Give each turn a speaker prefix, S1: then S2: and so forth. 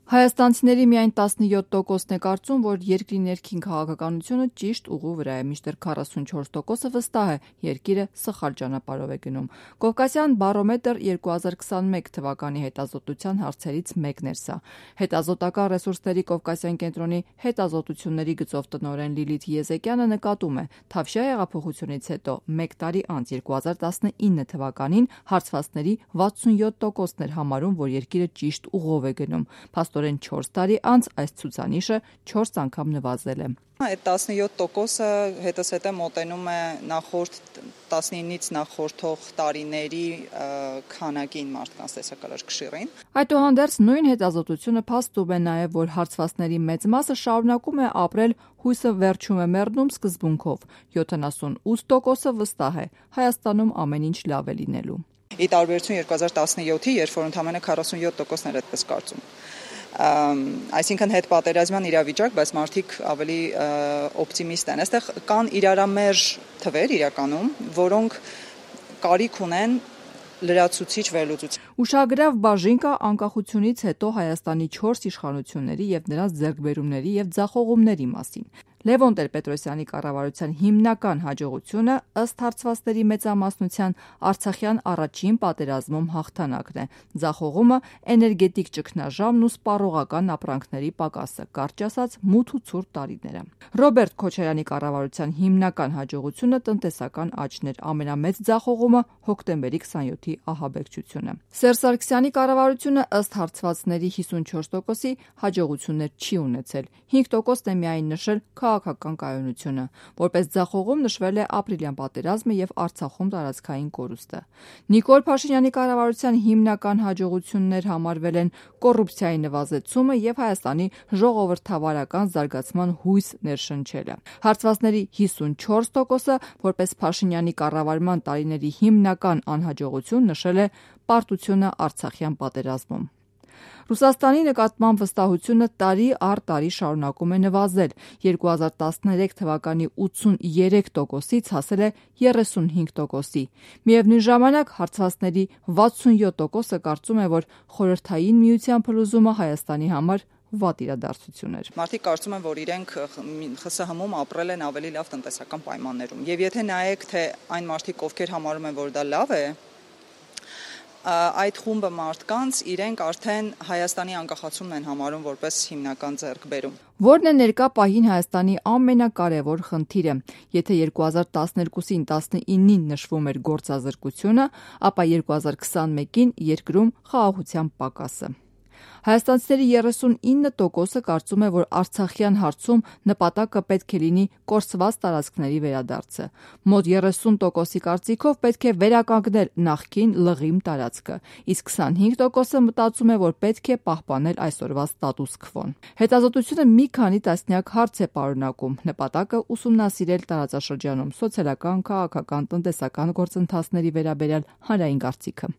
S1: Հայաստանցիների միայն 17%-ն է կարծում, որ երկրի ներքին քաղաքականությունը ճիշտ ուղու վրա է, մինչդեռ 44%-ը վստահ է երկիրը սխալ ճանապարհով է գնում։ Կովկասյան բարոմետր 2021 թվականի հետազոտության հարցերից մեկն էր սա։ Հետազոտական ռեսուրսների Կովկասյան կենտրոնի հետազոտությունների գծով տնօրեն Լիլիթ Եզեկյանը նկատում է, Թավշյա հեղափոխությունից հետո մեկ տարի անց 2019 թվականին հարցվածների 67%-ն էր համարում, որ երկիրը ճիշտ ուղով է գնում։ Փաստորեն 4 տարի անց այս ցուցանիշը 4 անգամ նվազել է։
S2: Այդ 17%-ը հետզհետե մոտենում է նախորդ 19-ից նախորդող տարիների քանակին մարդկանց տեսակալար կշիռին։
S1: Այդուհանդերձ նույն հետազոտությունը փաստում է նաև, որ հարցվածների մեծ մասը շարունակում է ապրել հույսը վերջում է մեռնում սկզբունքով։ 78%-ը վստահ է Հայաստանում ամեն ինչ լավ է լինելու։
S2: Ի տարբերություն 2017-ի, երբ որ ընդամենը 47%-ն էր այդպես կարծում։ Այսինքն հետպատերազմյան իրավիճակ, բայց մարդիկ ավելի օպտիմիստ են։ Այստեղ կան իրարամերժ թվեր իրականում, որոնք կարիք ունեն լրացուցիչ վերլուծության։
S1: Ուշագրավ բաժին կա անկախությունից հետո Հայաստանի 4 իշխանությունների եւ նրանց ձեռքբերումների եւ ձախողումների մասին։ Լևոն Տեր-Պետրոսյանի կառավարության հիմնական հաջողությունը ըստ հարցվածների մեծամասնության Արցախյան առաջին պատերազմում հաղթանակն է։ Ձախողումը էներգետիկ ճգնաժամն ու սպառողական ապրանքների պակասը, կարճ ասած մութ ու ցուրտ տարիները։ Ռոբերտ Քոչարյանի կառավարության հիմնական հաջողությունը տնտեսական աճն էր, ամենամեծ ձախողումը հոկտեմբերի 27-ի ահաբեկչությունը։ Սերժ Սարգսյանի կառավարությունը ըստ հարցվածների 54%-ի հաջողություններ չի ունեցել։ 5%-ն է միայն նշել քաղաքական կայունությունը։ Որպես ձախողում նշվել է ապրիլյան պատերազմը եւ Արցախում տարածքային կորուստը։ Նիկոլ Փաշինյանի կառավարության հիմնական հաջողություններ համարվել են կոռուպցիայի նվազեցումը եւ Հայաստանի ժողովրդավարական զարգացման հույս ներշնչելը։ Հարցվածների 54%-ը որպես Փաշինյանի կառավարման տարիների հիմնական անհաջողություն նշել է պարտությունը Արցախյան պատերազմում։ Ռուսաստանի նկատմամբ վստահությունը տարի առ տարի շարունակում է նվազել։ 2013 թվականի 83%-ից հասել է 35%-ի։ Միևնույն ժամանակ հարցվածների 67%-ը կարծում է, որ Խորհրդային Միության փլուզումը Հայաստանի համար վատ իրադարձություն էր։
S2: Մարդիկ կարծում են, որ իրենք ԽՍՀՄ-ում ապրել են ավելի լավ տնտեսական պայմաններում։ Եվ եթե նայեք, թե այն մարդիկ, ովքեր համարում են, որ դա լավ է, այդ խումբը մարդկանց իրենք արդեն Հայաստանի անկախացումն են համարում որպես հիմնական ձեռքբերում։
S1: Որն է ներկա պահին Հայաստանի ամենակարևոր խնդիրը։ Եթե 2012-ին 19-ին նշվում էր գործազրկությունը, ապա 2021-ին երկրում խաղաղության պակասը։ Հայաստանցիների 39%-ը կարծում է, որ Արցախյան հարցում նպատակը պետք է լինի կորսված տարածքների վերադարձը։ Մոտ 30%-ի կարծիքով պետք է վերականգնել նախկին լղիմ տարածքը, իսկ 25%-ը մտածում է, որ պետք է պահպանել այսօրվա ստատուս քվոն։ Հետազոտությունը մի քանի տասնյակ հարց է պարունակում, նպատակը ուսումնասիրել տարածաշրջանում սոցիալական, քաղաքական, տնտեսական գործընթացների վերաբերյալ հանրային կարծիքը։